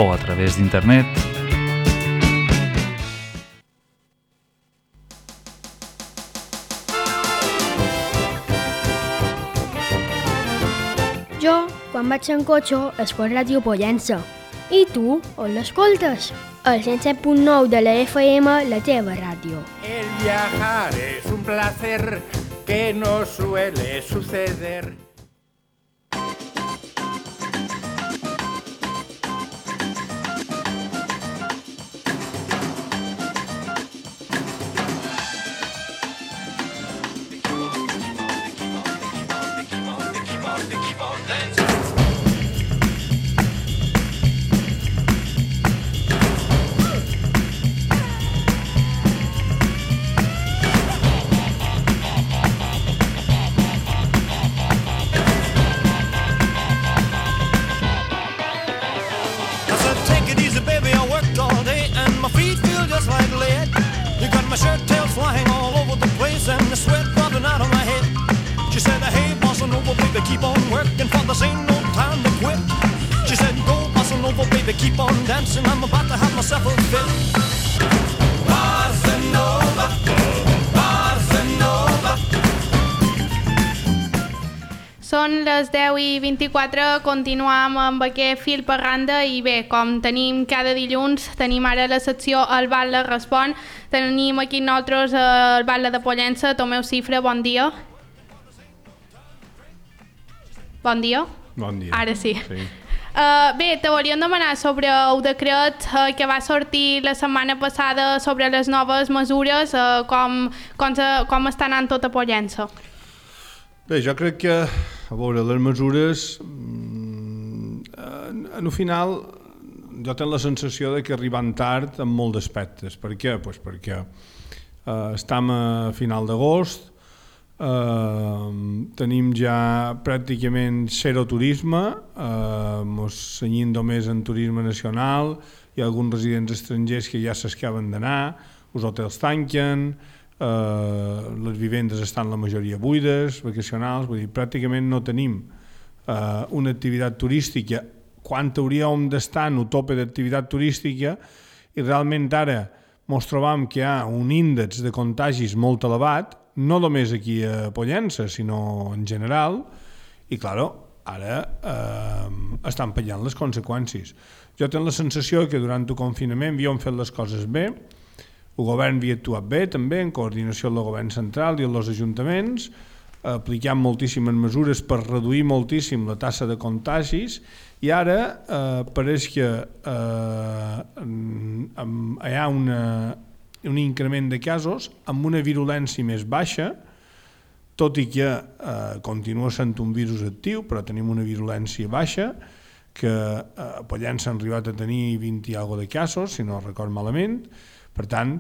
o a través d'internet. Jo, quan vaig en cotxe, escolto Ràdio Pollença. I tu, on l'escoltes? El 107.9 de la FM, la teva ràdio. El viajar es un placer que no suele suceder. Són les 10:24, continuem amb aquest fil per randa i bé, com tenim cada dilluns, tenim ara la secció El Batlle Respon, tenim aquí nosaltres el Batlle de Pollença, Tomeu Cifra, bon dia. Bon dia? Bon dia. Ara sí. Bé, te volíem demanar sobre el decret que va sortir la setmana passada sobre les noves mesures, com està anant tot a Pollença. Bé, jo crec que, a veure, les mesures, al final, jo tinc la sensació de que arriben tard en molts aspectes. Per què? Pues perquè estem a final d'agost, tenim ja pràcticament zero turisme, ens cenyim només en turisme nacional, hi ha alguns residents estrangers que ja s'escaven d'anar, els hotels tanquen, les vivendes estan la majoria buides, vacacionals, vull dir, pràcticament no tenim una activitat turística quan hauríem d'estar en el tope d'activitat turística i realment ara ens trobam que hi ha un índex de contagis molt elevat, no només aquí a Pollença, sinó en general, i clar, ara estan pagant les conseqüències. Jo tinc la sensació que durant el confinament havíem fet les coses bé, el govern havia actuat bé també, en coordinació amb el govern central i amb els ajuntaments, aplicant moltíssimes mesures per reduir moltíssim la taxa de contagis, i ara pareix que hi ha un increment de casos amb una virulència més baixa, tot i que continua sent un virus actiu, però tenim una virulència baixa, que a Pollença han arribat a tenir 20 i alguna de casos, si no record malament. Per tant,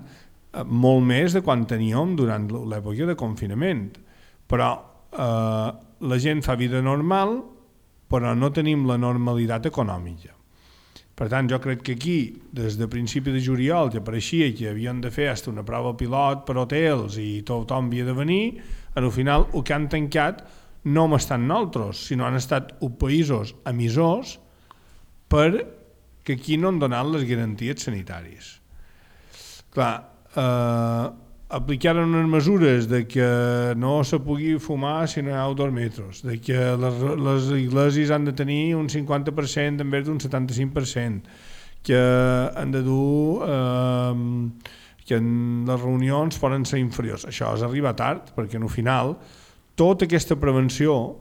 molt més de quan teníem durant l'època de confinament. Però la gent fa vida normal, però no tenim la normalitat econòmica. Per tant, jo crec que aquí, des de principi de juliol, ja pareixia que havien de fer fins una prova pilot per hotels i tothom havia de venir, al final el que han tancat no hem estat nosaltres, sinó han estat els països emissors perquè aquí no han donat les garanties sanitàries. Clar, aplicaren unes mesures de que no se pugui fumar si no hi ha 2 metres, de que les iglesis han de tenir un 50% en vez d'un 75%, que han de dur que les reunions poden ser inferiors. Això és arribar tard, perquè al final tota aquesta prevenció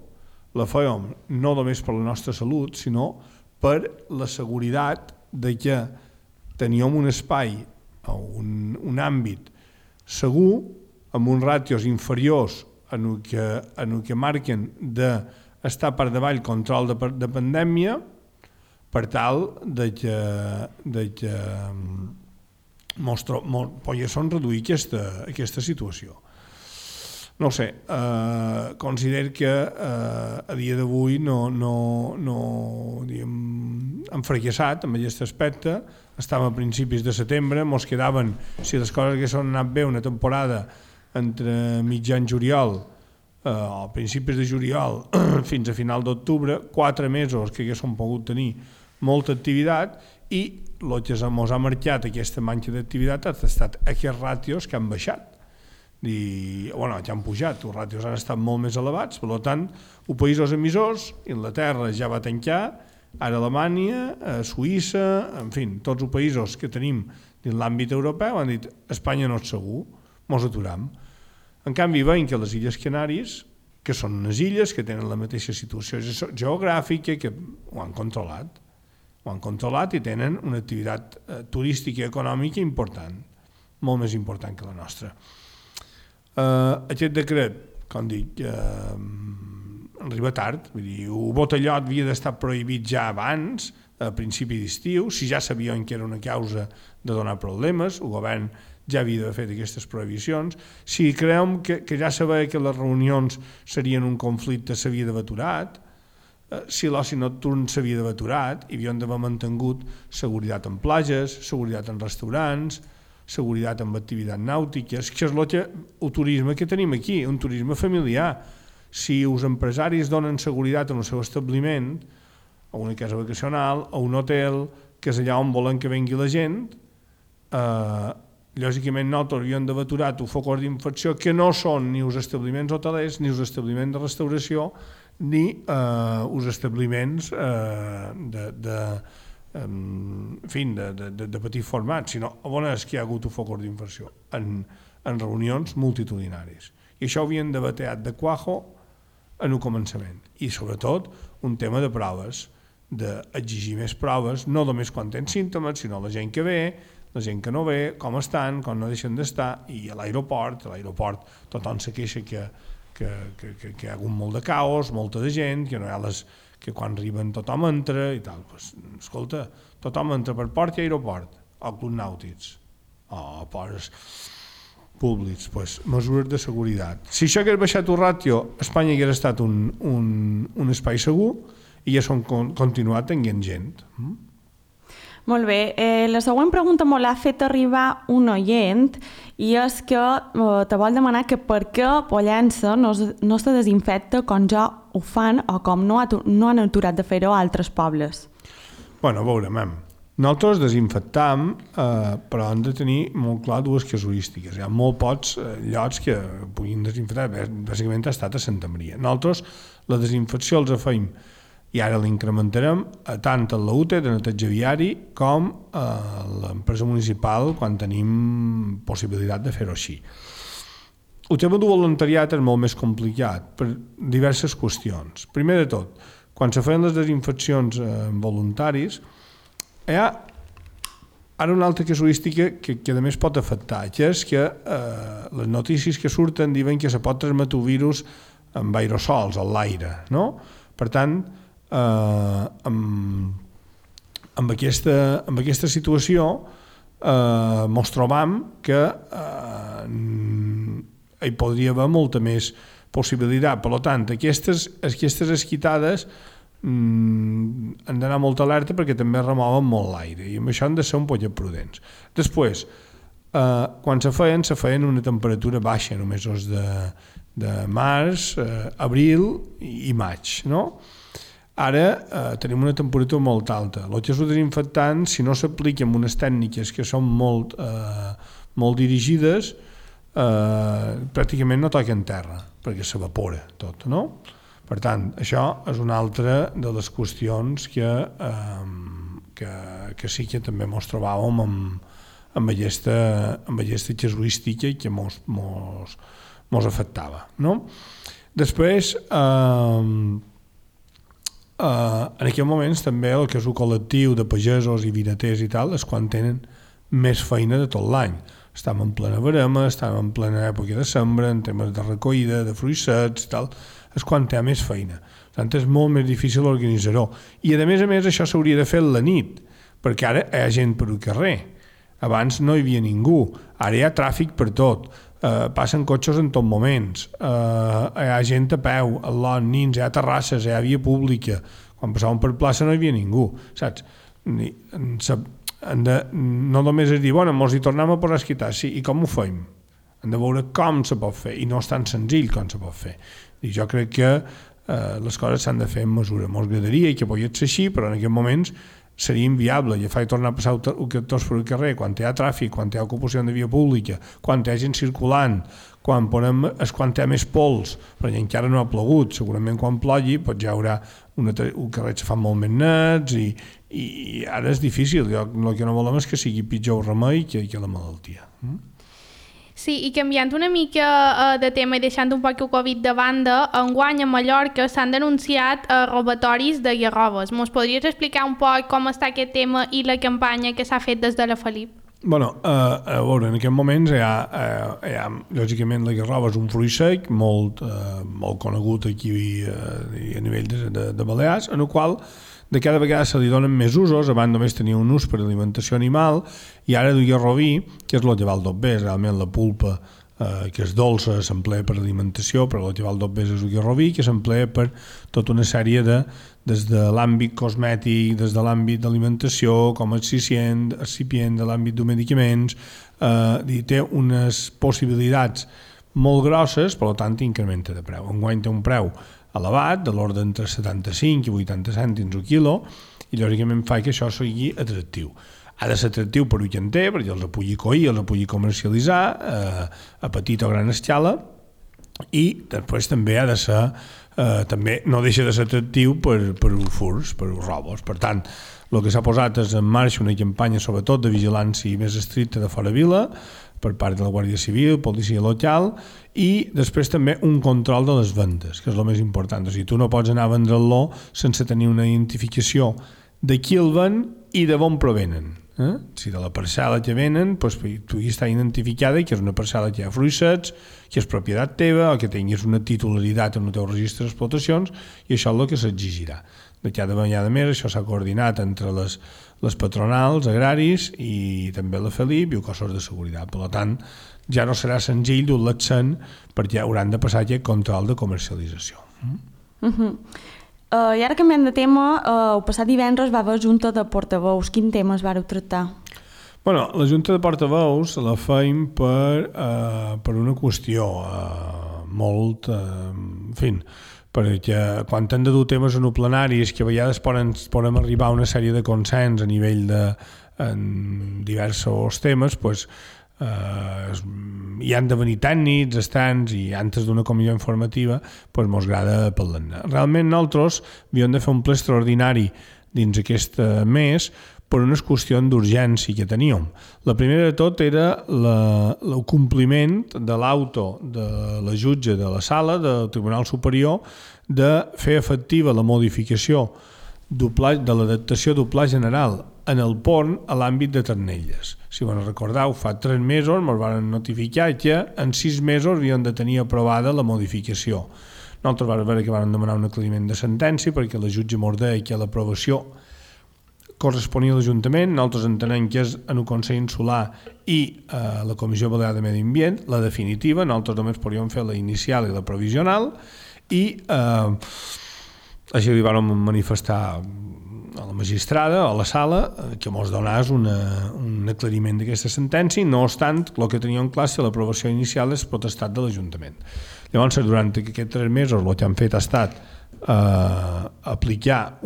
la fèiem no només per la nostra salut, sinó per la seguretat de que teníem un espai o un àmbit segur, amb uns ràtios inferiors en el que marquen d'estar per davall control de pandèmia, per tal de que poguéssim reduir aquesta situació. No ho sé, considero que a dia d'avui hem fracassat amb aquest aspecte. Estàvem a principis de setembre, ens quedaven, si les coses haguessin anat bé, una temporada entre mitjan juliol a principis de juliol fins a final d'octubre, 4 mesos que haguéssim pogut tenir molta activitat, i el que ens ha marcat aquesta manca d'activitat ha estat aquests ràtios que han baixat. Que han pujat, els ràtios han estat molt més elevats, per tant, els països emissors, Inglaterra ja va tancar, ara Alemanya, Suïssa, en fi, tots els països que tenim dins l'àmbit europeu han dit Espanya no és segur, mos aturam. En canvi, veiem que les Illes Canàries, que són unes illes que tenen la mateixa situació geogràfica, que ho han controlat i tenen una activitat turística i econòmica important, molt més important que la nostra. Aquest decret, com dic, arriba tard, vull dir, el botellot havia d'estar prohibit ja abans, a principi d'estiu, si ja sabien que era una causa de donar problemes, el govern ja havia d'haver fet aquestes prohibicions. Si creiem que ja sabia que les reunions serien un conflicte, s'havia d'haver aturat. Si l'oci nocturn s'havia d'haver aturat, hi havien d'haver mantingut seguretat en platges, seguretat en restaurants, seguretat en activitats nàutiques, que és el turisme que tenim aquí, un turisme familiar. Si els empresaris donen seguretat en el seu establiment, a una casa vacacional, a un hotel, que és allà on volen que vengui la gent, lògicament nosaltres havíem d'haver aturat els focus d'infecció que no són ni els establiments hotelers, ni els establiments de restauració, ni els establiments de petit format, sinó on és que hi ha hagut un focus d'infecció? En reunions multitudinaris. I això ho havien d'haver teat de cuajo en el començament. I sobretot un tema de proves, d'exigir més proves, no només quan tens símptomes, sinó la gent que ve, la gent que no ve, com estan, com no deixen d'estar, i a l'aeroport tothom se queixa que hi ha hagut molt de caos, molta de gent, que no hi ha que quan arriben tothom entra i tal. Pues, escolta, tothom entra per port i aeroport, o clubs nàutics, o ports públics, pues, mesures de seguretat. Si això hagués baixat el ràtio, Espanya hagués estat un espai segur i ja s'han continuat tenint gent. Molt bé. La següent pregunta me l'ha fet arribar un oient i és que te vol demanar que per què Pollença no se desinfecta com ja ho fan o com no han aturat de fer-ho a altres pobles. Bueno, a veure, nosaltres desinfectam, però hem de tenir molt clar dues casuístiques. Hi ha molt pocs llocs que puguin desinfectar, bàsicament ha estat a Santa Maria. Nosaltres la desinfecció els fem i ara l'incrementarem tant a la UTE de neteja viari com a l'empresa municipal quan tenim possibilitat de fer-ho així. El tema del voluntariat és molt més complicat per diverses qüestions. Primer de tot, quan se feien les desinfeccions voluntaris, hi ha ara una altra casuística que a més pot afectar, que és que les notícies que surten diuen que se pot transmetre el virus amb aerosols, a l'aire, no? Per tant, amb aquesta situació mos trobam que hi podria haver molta més possibilitat. Per tant, aquestes esquitades han d'anar molt alerta perquè també remouen molt l'aire i amb això han de ser un poc prudents. Després, quan se feien una temperatura baixa, en els mesos de març, abril i maig, no? Ara tenim una temperatura molt alta. El que és el desinfectant, si no s'aplica amb unes tècniques que són molt dirigides, pràcticament no toca en terra, perquè s'evapora tot, no? Per tant, això és una altra de les qüestions que sí que també ens trobàvem amb aquesta casuística que ens afectava, no? Després, en aquests moments també el que és el col·lectiu de pagesos i vinaters i tal és quan tenen més feina de tot l'any. Estem en plena verema, estem en plena època de sembra, en temes de recollida, de fruits secs i tal, és quan té més feina. Per tant, és molt més difícil organitzar-ho. I a més, això s'hauria de fer a la nit, perquè ara hi ha gent per al carrer. Abans no hi havia ningú, ara hi ha tràfic per tot. Passen cotxes en tots moments, hi ha gent a peu, a lot, nins, hi ha terrasses, hi ha via pública. Quan passàvem per plaça no hi havia ningú, saps? No només és dir, bueno, mos hi tornem a posar a esquitar, sí, i com ho fem? Hem de veure com se pot fer, i no és tan senzill com se pot fer. I jo crec que les coses s'han de fer en mesura. Mos agradaria que pogués ser així, però en aquests moments seria inviable agafar i tornar a passar tots per el carrer quan hi ha tràfic, quan hi ha ocupació de via pública, quan hi ha gent circulant, quan hi ha més pols, perquè encara no ha plogut. Segurament quan plogui ja hi haurà un carrer que se fan molt més nets i ara és difícil. El que no volem és que sigui pitjor el remei que la malaltia. Sí, i canviant una mica de tema i deixant un poc el Covid de banda, enguany a Mallorca s'han denunciat robatoris de garrobes. Mos podries explicar un poc com està aquest tema i la campanya que s'ha fet des de la Felip? Bueno, a veure, en aquests moments hi ha lògicament la garroba és un fruit sec molt conegut aquí a nivell de Balears, en el qual de cada vegada se li donen més usos. Abans només tenia un ús per alimentació animal i ara el garrobí, que és el lleval d'obès, realment la pulpa que és dolça s'emplea per alimentació, però el lleval d'obès és el garrobí, que s'emplea per tota una sèrie des de l'àmbit cosmètic, des de l'àmbit d'alimentació, com a excipient de l'àmbit de medicaments, té unes possibilitats molt grosses, per tant incrementa de preu. Enguany té un preu elevat, de l'ordre entre 75 i 80 cèntims el quilo, i lògicament fa que això sigui atractiu. Ha de ser atractiu per ullenter, perquè els pugui coir, els pugui comercialitzar a petita o gran escala, i després també ha de ser, també no deixa de ser atractiu per els furs, per els robos. Per tant, el que s'ha posat és en marxa una campanya sobretot de vigilància més estricta de fora vila, per part de la Guàrdia Civil, policia local, i després també un control de les vendes, que és el més important. O sigui, tu no pots anar a vendre-lo sense tenir una identificació de qui el ven i de on provenen. Si de la parcel·la que venen, doncs, tu hi està identificada que és una parcel·la que hi ha fruits secs, que és propietat teva, o que tinguis una titularitat en el teu registre d'explotacions, i això és el que s'exigirà. De cada vegada més això s'ha coordinat entre les patronals, agraris i també la Felip i els cossos de seguretat. Per tant, ja no serà senzill dur-la accent perquè hauran de passar aquest control de comercialització. I ara canviant de tema, el passat divendres va haver Junta de Portaveus. Quin tema es vareu tractar? Bueno, la Junta de Portaveus la feim per una qüestió molt... en fi, perquè quan hem de dur temes en plenaris que a vegades podem arribar a una sèrie de consens a nivell de diversos temes, doncs hi han de venir tècnics, estants, i antes d'una comissió informativa doncs mos agrada parlar-ne. Realment nosaltres havíem de fer un ple extraordinari dins aquest mes per unes qüestions d'urgència que teníem. La primera de tot era el compliment de l'auto de la jutge de la sala del Tribunal Superior de fer efectiva la modificació de l'adaptació del Pla General en el pont a l'àmbit de Ternelles. Si vos recordeu, fa 3 mesos ens van notificar que en 6 mesos havíem de tenir aprovada la modificació. Nosaltres vam veure que vam demanar un aclariment de sentència perquè la jutge ens deia que l'aprovació corresponia a l'Ajuntament. Nosaltres entenem que és en el Consell Insular i la Comissió Balear de Medi Ambient, la definitiva. Nosaltres només podíem fer la inicial i la provisional, i així li vam manifestar a la magistrada, a la sala, que ens donés un aclariment d'aquesta sentència. No obstant, el que teníem clar és que l'aprovació inicial és potestat de l'Ajuntament. Llavors, durant aquests 3 mesos, el que han fet ha estat aplicar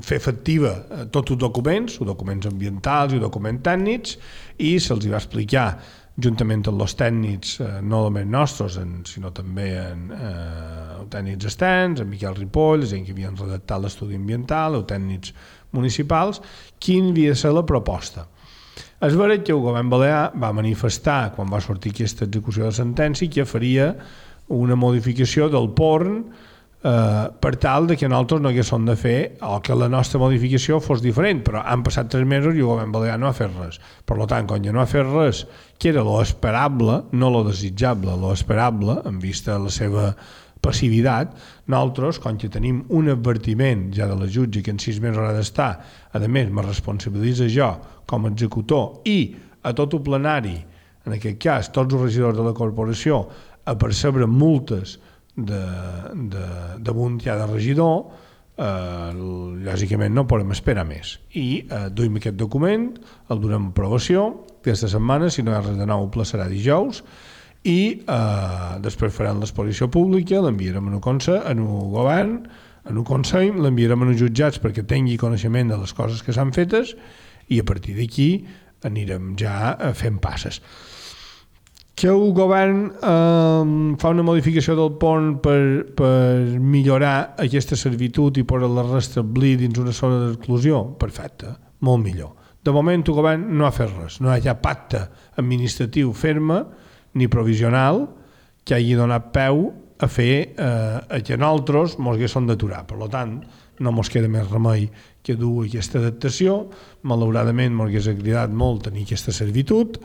fer efectiva tots els documents ambientals i documents tècnics, i se'ls va explicar juntament amb els tècnics, no només nostres, sinó també tècnics externs, en Miquel Ripoll, gent que havien redactat l'estudi ambiental, els tècnics municipals, quin havia de ser la proposta. És veritat que el govern balear va manifestar, quan va sortir aquesta execució de sentència, que faria una modificació del PORN per tal que nosaltres no haguéssim de fer, o que la nostra modificació fos diferent, però han passat 3 mesos i el govern balear no ha fet res. Per tant, quan ja no ha fet res, que era lo esperable, no lo desitjable, lo esperable, en vista de la seva passivitat, nosaltres, quan que tenim un advertiment ja de la jutge que en 6 mesos ha d'estar, a més, me responsabilitza jo com a executor i a tot el plenari, en aquest cas, tots els regidors de la corporació, a percebre multes damunt ja de regidor, lògicament no podem esperar més. I duim aquest document, el donem a aprovació aquesta setmana, si no hi ha res de nou, el ple serà dijous, i després farem l'exposició pública, l'enviarem a un govern, a un consell, l'enviarem a uns jutjats perquè tingui coneixement de les coses que s'han fetes i a partir d'aquí anirem ja fent passes. Que el govern fa una modificació del pont per millorar aquesta servitud i poder-la restablir dins una zona d'exclusió, perfecte, molt millor. De moment el govern no ha fet res, no hi ha pacte administratiu ferme ni provisional que hagi donat peu a fer que nosaltres ens haguéssim d'aturar. Per tant, no ens queda més remei que dur aquesta adaptació. Malauradament ens hagués agradat molt tenir aquesta servitud,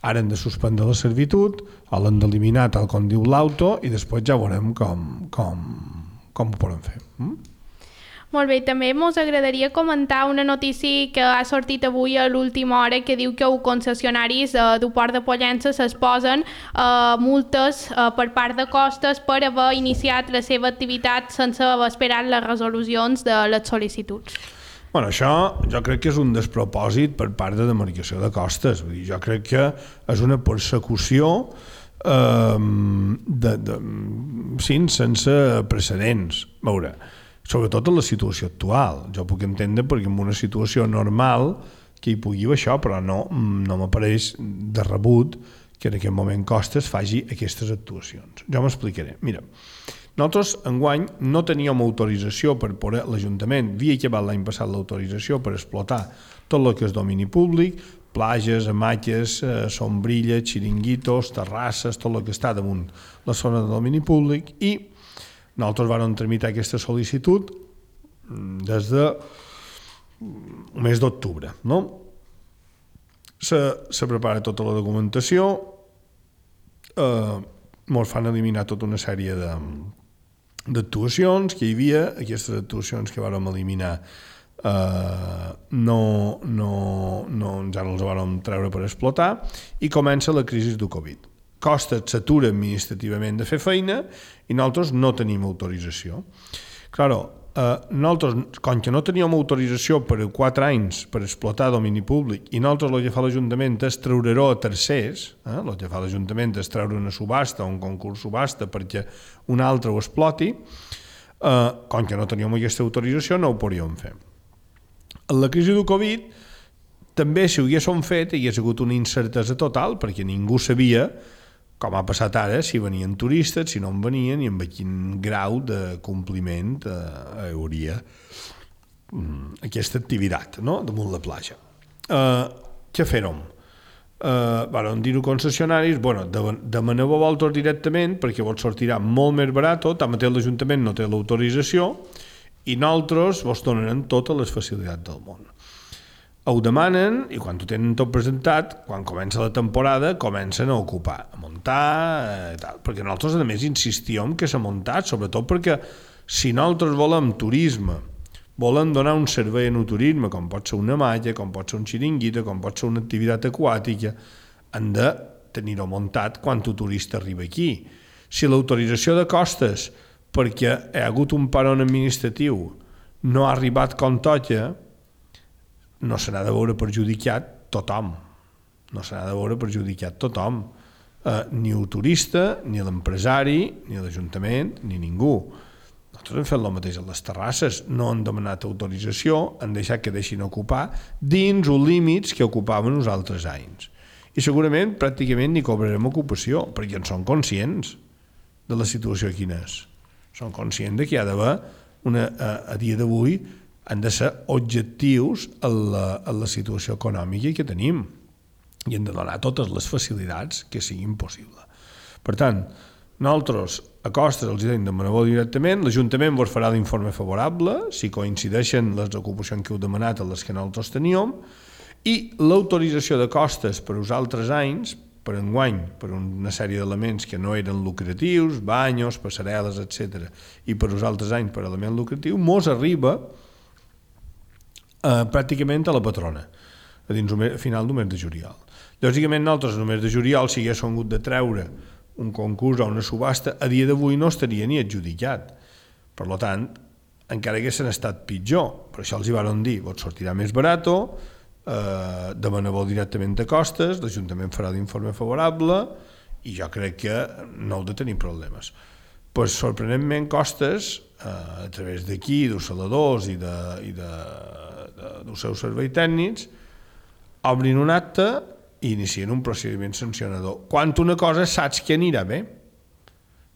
ara hem de suspendre la servitud, l'hem d'eliminar tal com diu l'auto i després ja veurem com ho podem fer. Molt bé, també ens agradaria comentar una notícia que ha sortit avui a l'última hora que diu que els concessionaris del Port de Pollença s'exposen multes per part de Costes per haver iniciat la seva activitat sense haver esperat les resolucions de les sol·licituds. Això jo crec que és un despropòsit per part de demarcació de Costes. Vull dir, jo crec que és una persecució sense precedents. A veure, sobretot en la situació actual. Jo puc entendre perquè en una situació normal que hi pugui haver això, però no m'apareix de rebut que en aquest moment Costes faci aquestes actuacions. Jo m'explicaré. Mira, nosaltres enguany no teníem autorització per poder, l'Ajuntament havia acabat l'any passat l'autorització per explotar tot el que és domini públic, plages, amatges, sombrilles, xiringuitos, terrasses, tot el que està damunt la zona de domini públic i nosaltres vam tramitar aquesta sol·licitud des del mes d'octubre. Se prepara tota la documentació, ens fan eliminar tota una sèrie d'actuacions que hi havia, aquestes actuacions que vàrem eliminar ja no els vàrem treure per explotar i comença la crisi del Covid. Costes s'atura administrativament de fer feina i nosaltres no tenim autorització. Nosaltres, com que no teníem autorització per 4 anys per explotar domini públic i nosaltres el que fa l'Ajuntament és treure-ho a tercers, el que fa l'Ajuntament és treure una subhasta, un concurs subhasta perquè un altre ho exploti, com que no teníem aquesta autorització no ho podíem fer. En la crisi del Covid també si ho haguéssim fet hi hagués hagut una incertesa total perquè ningú sabia com ha passat ara, si venien turistes, si no en venien i amb quin grau de compliment hi hauria aquesta activitat damunt la platja. Què fèrem? Vam dir-ho concessionaris, demaneu-ho vosaltres directament perquè vos sortirà molt més barat, tanmateix l'Ajuntament no té l'autorització i nosaltres vos donarem totes les facilitats del món. Ho demanen i quan ho tenen tot presentat, quan comença la temporada, comencen a ocupar, a muntar, tal. Perquè nosaltres a més insistíem que s'ha muntat, sobretot perquè si nosaltres volem turisme, volem donar un servei en el turisme, com pot ser una malla, com pot ser un xiringuito, com pot ser una activitat aquàtica, han de tenir-ho muntat quan el turista arriba aquí. Si l'autorització de Costes, perquè hi ha hagut un paron administratiu, no ha arribat com toca, no se n'ha de veure perjudicat tothom. No se n'ha de veure perjudicat tothom. Ni el turista, ni l'empresari, ni l'Ajuntament, ni ningú. Nosaltres hem fet el mateix a les terrasses. No han demanat autorització, han deixat que deixin ocupar dins els límits que ocupaven els altres anys. I segurament pràcticament ni cobrarem ocupació, perquè en són conscients de la situació quina és. Són conscients que hi ha d'haver a dia d'avui han de ser objectius en la situació econòmica que tenim i hem de donar totes les facilitats que siguin possibles. Per tant, nosaltres a Costes els hem demanat directament, l'Ajuntament vos farà l'informe favorable si coincideixen les ocupacions que heu demanat a les que nosaltres teníem i l'autorització de Costes per als altres anys, per enguany, per una sèrie d'elements que no eren lucratius, banyos, passarel·les, etc. i per als altres anys per element lucratiu, mos arriba pràcticament a la patrona, a final del mes de juliol. Lògicament, nosaltres, en el mes de juliol, si haguéssim hagut de treure un concurs o una subhasta, a dia d'avui no estaria ni adjudicat. Per tant, encara haguessin estat pitjor. Per això els hi van dir, vos sortirà més barat, demaneu directament a Costes, l'Ajuntament farà l'informe favorable i jo crec que no heu de tenir problemes. Pues, sorprenentment, Costes, a través d'aquí, dels saladors i dels seus serveis tècnics, obrin un acte i inicien un procediment sancionador. Quan una cosa saps que anirà bé,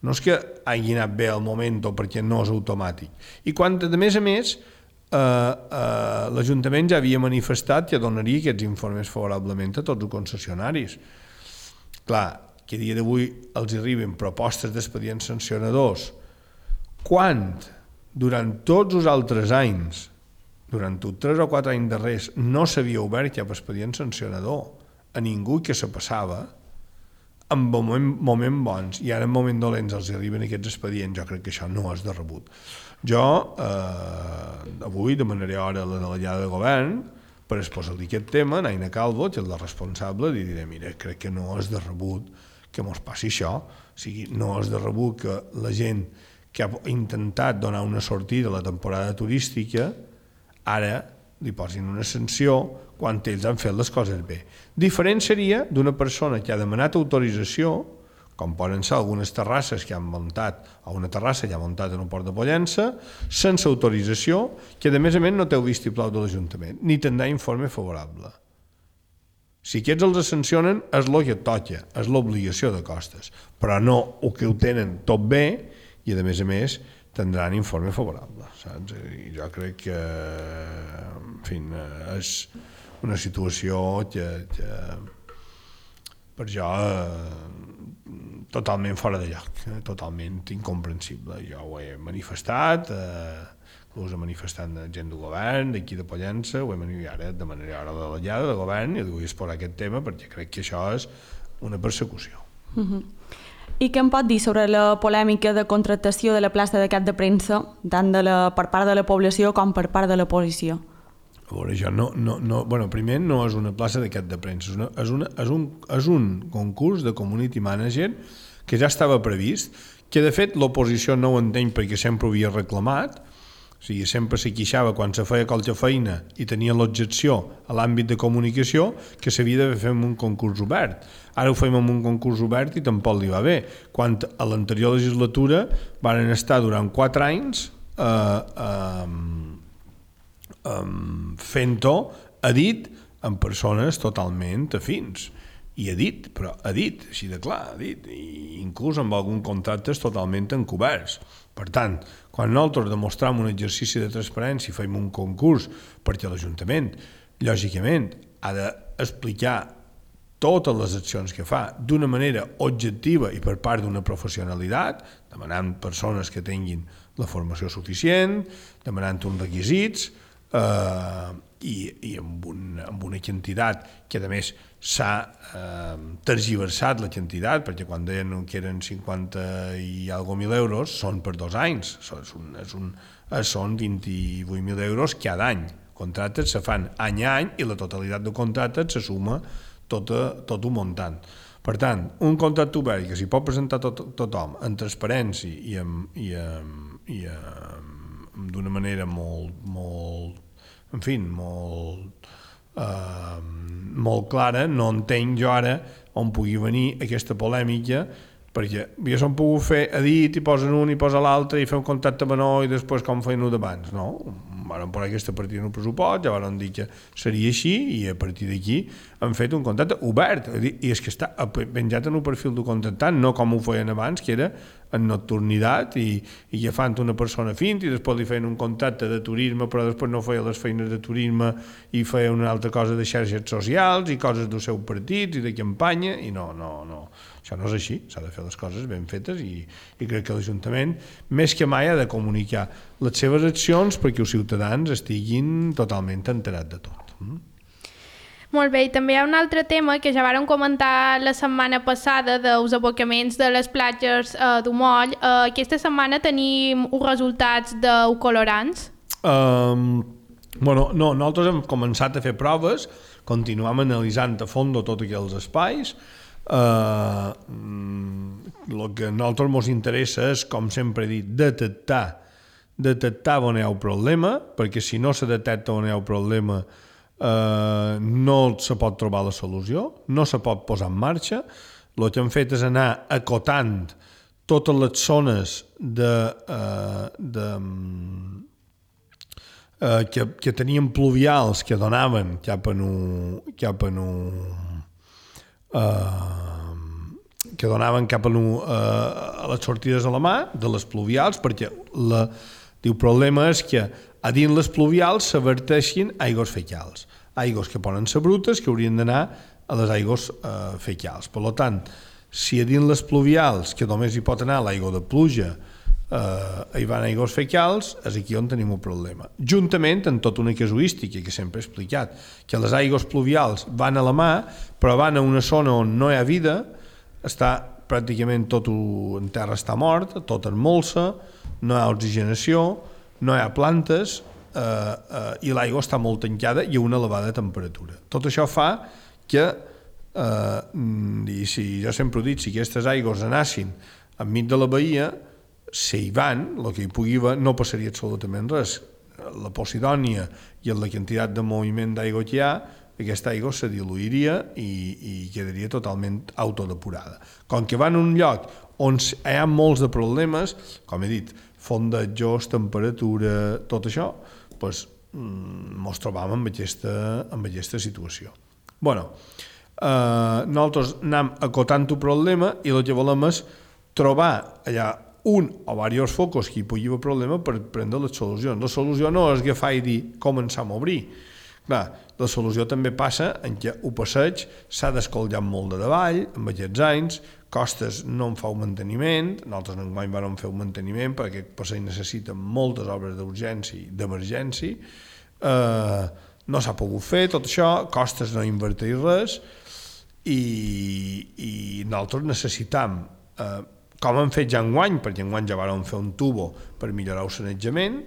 no és que hagi anat bé al moment o perquè no és automàtic. I quan, a més, l'Ajuntament ja havia manifestat que donaria aquests informes favorablement a tots els concessionaris. Clar, que a dia d'avui els arriben propostes d'expedients sancionadors quan durant tots els altres anys, durant els 3 o 4 anys darrers, no s'havia obert cap expedient sancionador a ningú que se passava, en moments bons i ara en moments dolents els arriben aquests expedients. Jo crec que això no és de rebut. Jo avui demanaré hora a la delegada de govern per exposar-li aquest tema, a Aina Calvo, que és la responsable, i diré, mira, crec que no és de rebut que mos passi això, o sigui, no és de rebut que la gent que ha intentat donar una sortida a la temporada turística ara li posin una sanció quan ells han fet les coses bé. Diferent seria d'una persona que ha demanat autorització, com poden ser algunes terrasses que han muntat, o una terrassa que ha muntat en un port de Pollença, sense autorització, que a més no té el vistiplau de l'Ajuntament, ni tindrà informe favorable. Si aquests els sancionen, és el que toca, és l'obligació de Costes, però no el que ho tenen tot bé i a més tindran informe favorable, saps? I jo crec que, en fi, és una situació que per jo totalment fora de lloc, totalment incomprensible. Jo ho he manifestat, inclús manifestant gent del govern, d'aquí de Pollença, ho he manifestat, ara demanaré hora de la llada de govern i vull exposar aquest tema perquè crec que això és una persecució. I què em pot dir sobre la polèmica de contractació de la plaça de cap de premsa, tant per part de la població com per part de la policia? A veure, jo primer no és una plaça de cap de premsa, és un concurs de community manager que ja estava previst, que de fet l'oposició no ho entén perquè sempre ho havia reclamat, o sigui, sempre se queixava quan se feia qualque feina i tenia l'objecció a l'àmbit de comunicació que s'havia de fer en un concurs obert. Ara ho fem en un concurs obert i tampoc li va bé. Quan a l'anterior legislatura van estar durant 4 anys fent-ho a dit amb persones totalment afins. I ha dit, així de clar, i inclús amb alguns contractes totalment encoberts. Per tant, quan nosaltres demostrem un exercici de transparència i fem un concurs perquè l'Ajuntament, lògicament, ha d'explicar totes les accions que fa d'una manera objectiva i per part d'una professionalitat, demanant persones que tinguin la formació suficient, demanant uns requisits, i amb una quantitat que a més s'ha tergiversat la quantitat, perquè quan deien que eren 50 i alguna mil euros són per 2 anys, són 28.000 euros cada any. Contractes se fan any a any i la totalitat de contractes se suma tot un muntant. Per tant, un contracte obert que s'hi pot presentar tothom en transparència i d'una manera molt clara, no entenc jo ara on pugui venir aquesta polèmica, perquè ja s'han pogut fer a dit i posen un i posa l'altre i fer un contracte menor i després com feien-ho d'abans, no? Van posar aquesta partida en el pressupost, ja van dir que seria així i a partir d'aquí han fet un contracte obert i és que està penjat en el perfil del contractant, no com ho feien abans, que era en nocturnitat i agafant una persona fint i després li feien un contracte de turisme però després no feia les feines de turisme i feia una altra cosa de xarxes socials i coses del seu partit i de campanya i no, això no és així, s'ha de fer les coses ben fetes i crec que l'Ajuntament més que mai ha de comunicar les seves accions perquè els ciutadans estiguin totalment enterats de tot. Molt bé, i també hi ha un altre tema que ja vàrem comentar la setmana passada dels abocaments de les platges d'Umoll. Aquesta setmana tenim uns resultats d'eucolorants? Nosaltres hem començat a fer proves, continuem analitzant a fons tots aquells espais. El que a nosaltres ens interessa és, com sempre he dit, detectar on hi ha un problema, perquè si no se detecta on hi ha un problema no se pot trobar la solució, no se pot posar en marxa. El que hem fet és anar acotant totes les zones que tenien pluvials que donaven cap a les sortides a la mà de les pluvials, perquè el problema és que a dins les pluvials s'averteixin aigües fecals, aigües que poden ser brutes que haurien d'anar a les aigües fecals. Per tant, si a dins les pluvials, que només hi pot anar l'aigua de pluja, hi van aigües fecals, és aquí on tenim un problema. Juntament amb tota una casuística que sempre he explicat, que les aigües pluvials van a la mà, però van a una zona on no hi ha vida, està pràcticament tot en terra està mort, tot en molsa, no hi ha oxigenació, no hi ha plantes i l'aigua està molt tancada i a una elevada temperatura. Tot això fa que, i si jo sempre ho dic, si aquestes aigües anessin enmig de la bahia, si hi van, el que hi pugui haver, no passaria absolutament res. La Posidònia i la quantitat de moviment d'aigua que hi ha, aquesta aigua se diluiria i quedaria totalment autodepurada. Com que van a un lloc on hi ha molts de problemes, com he dit, fondejos, temperatura, tot això, doncs ens trobam amb aquesta situació. Nosaltres anem acotant el problema i el que volem és trobar allà un o diversos focus que hi pugui haver problema per prendre les solucions. La solució no és agafar i dir començam a obrir. Clar, la solució també passa en què el passeig s'ha d'escollar molt de davall, amb aquests anys, Costes no en fa un manteniment, nosaltres enguany vam fer un manteniment perquè aquest passeig necessita moltes obres d'urgència i d'emergència, no s'ha pogut fer tot això, Costes no invertir res i nosaltres necessitam, com hem fet ja enguany, perquè enguany ja vam fer un tubo per millorar el sanejament,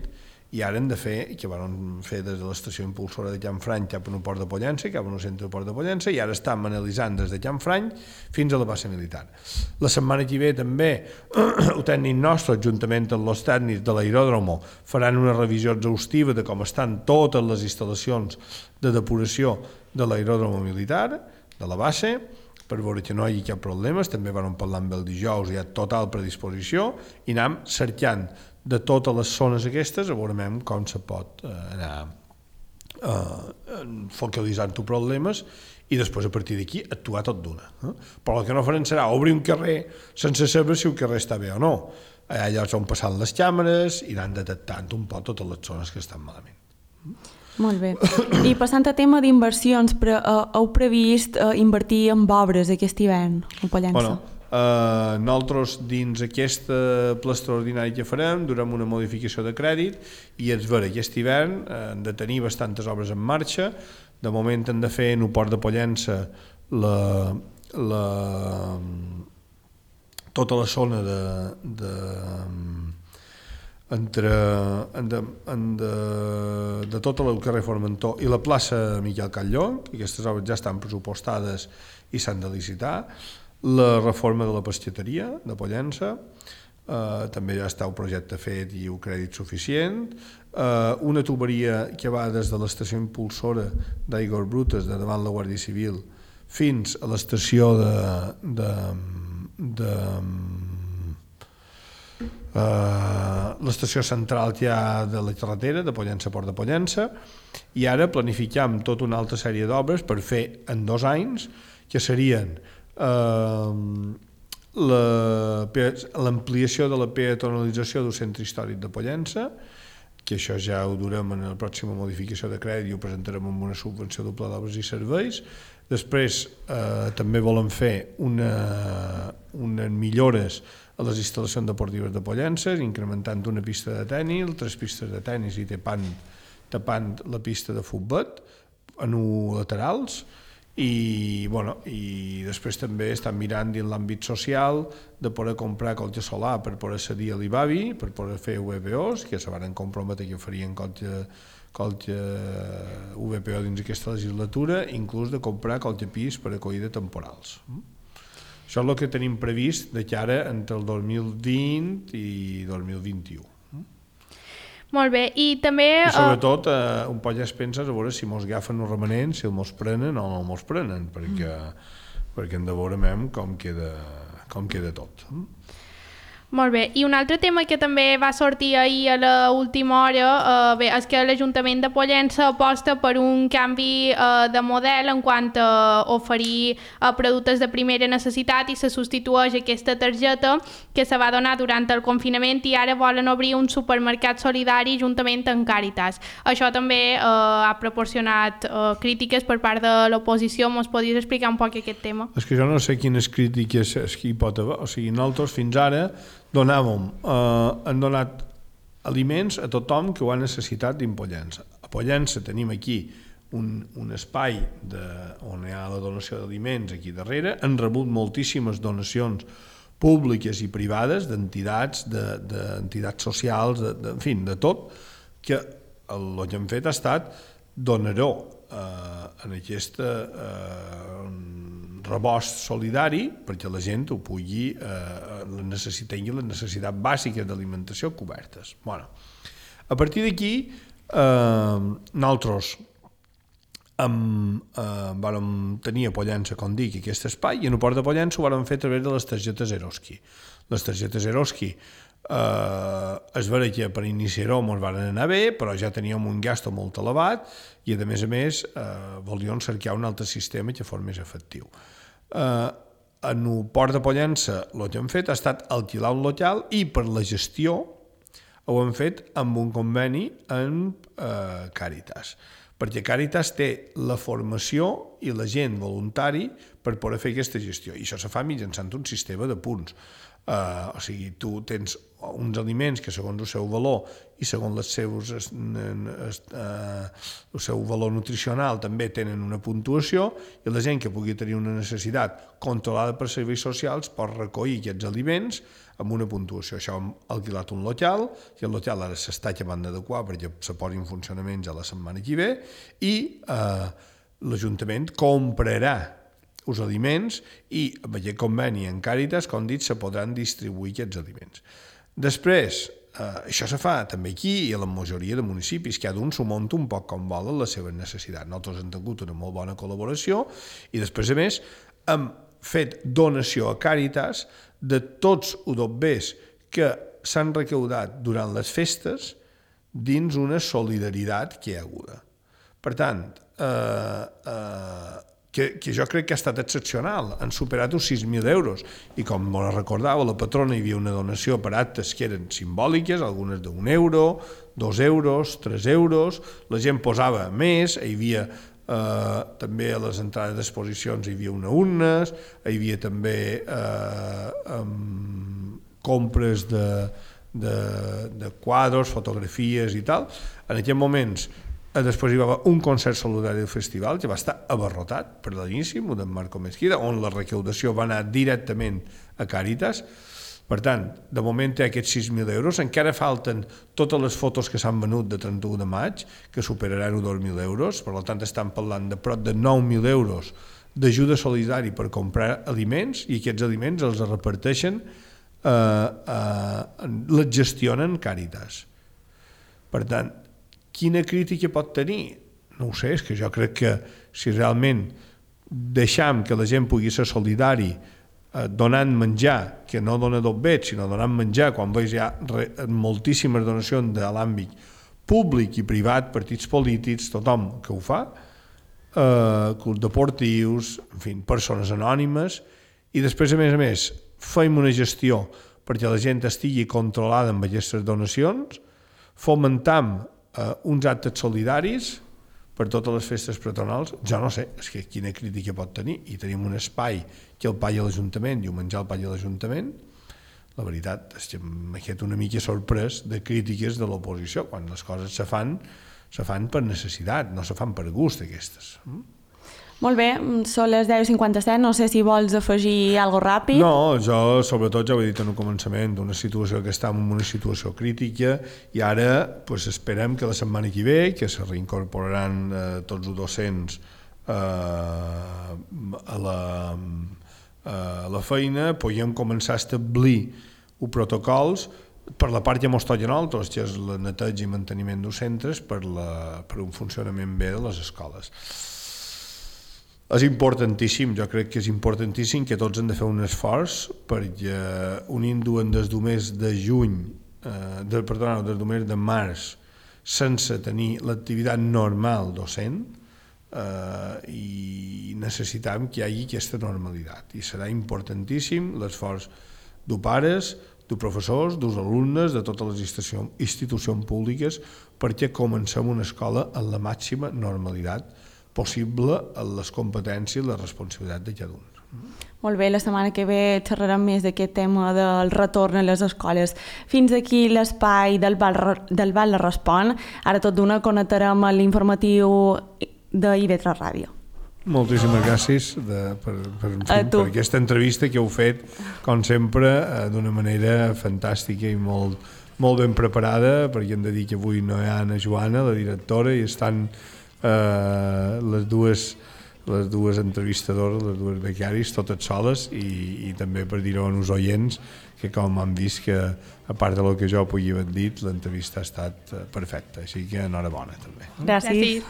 i ara hem de fer, que vam fer des de l'estació impulsora de Canfrany cap a un port de Pollença, cap a un centre de port de Pollença, i ara estem analitzant des de Canfrany fins a la base militar. La setmana que ve també el tècnic nostre, juntament amb els tècnics de l'aeròdromo, faran una revisió exhaustiva de com estan totes les instal·lacions de depuració de l'aeròdromo militar, de la base, per veure que no hi hagi cap problema. També vam parlar amb el dijous, hi ha total predisposició, i anem cercant de totes les zones aquestes, a veure com se pot anar focalitzant els problemes i després a partir d'aquí actuar tot d'una. Però el que no farem serà obrir un carrer sense saber si el carrer està bé o no. Allà on passen les càmeres i anar detectant un poc totes les zones que estan malament. Molt bé. I passant a tema d'inversions, heu previst invertir en obres aquest hivern a Pollença? Nosaltres dins aquesta pla extraordinari que farem durem una modificació de crèdit i és vera, aquest hivern hem de tenir bastantes obres en marxa. De moment hem de fer en el port de Pollença tota la zona de tot el carrer Formentor i la plaça Miquel Catlló, que aquestes obres ja estan pressupostades i s'han de licitar. La reforma de la pesqueteria de Pollença, també ja està el projecte fet i el crèdit suficient, una tuberia que va des de l'estació impulsora d'aigües brutes de davant la Guàrdia Civil fins a l'estació l'estació central que hi ha de la carretera de Pollença a Port de Pollença, i ara planificam tota una altra sèrie d'obres per fer en 2 anys, que serien l'ampliació de la peatonalització del centre històric de Pollença, que això ja ho durem en la pròxima modificació de crèdit i ho presentarem amb una subvenció del Pla d'Obres i Serveis. Després també volem fer unes millores a les instal·lacions deportives de Pollença, incrementant una pista de tenis, 3 pistes de tenis i tapant la pista de futbol en laterals. I després també estan mirant dins l'àmbit social de poder comprar colze solar per poder cedir a l'IBAVI, per poder fer VPOs, que se van comprometre que farien colze VPO dins aquesta legislatura, inclús de comprar colze pis per acollida temporals. Això és el que tenim previst de cara entre el 2020 i 2021. Molt bé, i també... I sobretot un poc ja es pensa a veure si mos agafen els remanents, si els mos prenen o no mos prenen, perquè perquè en veurem com queda tot. Molt bé, i un altre tema que també va sortir ahir a l'última hora és que l'Ajuntament de Pollença aposta per un canvi de model en quant a oferir productes de primera necessitat i se substitueix aquesta targeta que se va donar durant el confinament i ara volen obrir un supermercat solidari juntament amb Càritas. Això també ha proporcionat crítiques per part de l'oposició. Mos podries explicar un poc aquest tema? És que jo no sé quines crítiques hi pot haver. O sigui, nosaltres fins ara han donat aliments a tothom que ho ha necessitat dins Pollença. A Pollença tenim aquí un espai on hi ha la donació d'aliments aquí darrere. Han rebut moltíssimes donacions públiques i privades d'entitats, d'entitats socials, en fi, de tot, que el que hem fet ha estat donar-ho en aquest rebost solidari perquè la gent ho pugui tingui les necessitats bàsiques d'alimentació cobertes. Bueno, a partir d'aquí nosaltres vam tenir a Pollença, com dic, aquest espai, i en el port de Pollença ho vam fer a través de les targetes Eroski. Les targetes Eroski es vera que per iniciar-ho ens van anar bé, però ja teníem un gasto molt elevat i a més volíem cercar un altre sistema que fos més efectiu. En el port de Pollença el que hem fet ha estat alquilar un local i per la gestió ho hem fet amb un conveni amb Càritas, perquè Càritas té la formació i la gent voluntari per poder fer aquesta gestió, i això se fa mitjançant un sistema de punts. O sigui, tu tens uns aliments que segons el seu valor i segons el seu valor nutricional també tenen una puntuació, i la gent que pugui tenir una necessitat controlada per serveis socials pot recollir aquests aliments amb una puntuació. Això hem alquilat un local, i el local ara s'està acabant d'adequar perquè se posi en funcionament ja la setmana que ve, i l'Ajuntament comprarà els aliments i amb aquest conveni en Càritas, com dit, se podran distribuir aquests aliments. Després, això se fa també aquí i a la majoria de municipis, cada un s'ho munta un poc com volen les seves necessitats. Nosaltres hem tingut una molt bona col·laboració i després, a més, hem fet donació a Càritas de tots els dobbers que s'han recaudat durant les festes dins una solidaritat que hi ha hagut. Per tant, que jo crec que ha estat excepcional. Han superat els 6.000 euros i, com me recordava la patrona, hi havia una donació per actes que eren simbòliques, algunes d'1 euro, 2 euros, 3 euros, la gent posava més, hi havia també a les entrades d'exposicions hi havia una urnes, hi havia també compres de quadres, fotografies i tal. En aquests moments després hi va haver un concert solidari del festival que va estar abarrotat per l'inici, d'en Marco Mesquida, on la recaudació va anar directament a Càritas. Per tant, de moment té aquests 6.000 euros, encara falten totes les fotos que s'han venut de 31 de maig, que superaran els 2.000 euros, per tant estan parlant de prop de 9.000 euros d'ajuda solidari per comprar aliments, i aquests aliments els reparteixen, les gestionen Càritas. Per tant, quina crítica pot tenir? No ho sé, és que jo crec que si realment deixam que la gent pugui ser solidari donant menjar, que no dona dobbet, sinó donant menjar, quan veus hi ha moltíssimes donacions de l'àmbit públic i privat, partits polítics, tothom que ho fa, clubs deportius, en fi, persones anònimes, i després, a més, fem una gestió perquè la gent estigui controlada amb aquestes donacions, fomentam uns actes solidaris per totes les festes patronals. Jo no sé, és que quina crítica pot tenir, i tenim un espai que el paga l'Ajuntament i el menjar el paga l'Ajuntament. La veritat és que m'he quedat una mica sorprès de crítiques de l'oposició, quan les coses se fan per necessitat, no se fan per gust, aquestes. Molt bé, són les 10:57, no sé si vols afegir alguna cosa ràpid. No, jo sobretot ja ho he dit en el començament, d'una situació que està en una situació crítica, i ara esperem que la setmana que ve, que se reincorporaran tots els docents a la feina, puguem començar a establir els protocols per la part que ens toca a nosaltres, que és el neteig i manteniment dels centres per un funcionament bé de les escoles. És importantíssim, jo crec que és importantíssim que tots hem de fer un esforç perquè unint des del mes de juny, des del mes de març, sense tenir l'activitat normal docent, i necessitem que hi hagi aquesta normalitat. I serà importantíssim l'esforç de pares, de professors, dels alumnes, de totes les institucions públiques, perquè comencem una escola en la màxima normalitat possible en les competències i la responsabilitat de cada un. Molt bé, la setmana que ve xerrarem més d'aquest tema del retorn a les escoles. Fins aquí l'espai del Val Respon. Ara tot d'una connectarem a l'informatiu de IB3 Ràdio. Moltíssimes gràcies per aquesta entrevista que heu fet, com sempre, d'una manera fantàstica i molt ben preparada, perquè hem de dir que avui no hi ha Anna Joana, la directora, i estan les dues entrevistadores, les dues becaris, totes soles, i també per dir-ho als oients, que com han vist que, a part del que jo pugui haver dit, l'entrevista ha estat perfecta, així que enhorabona també. Gràcies.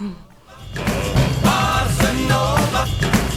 Bossa Nova.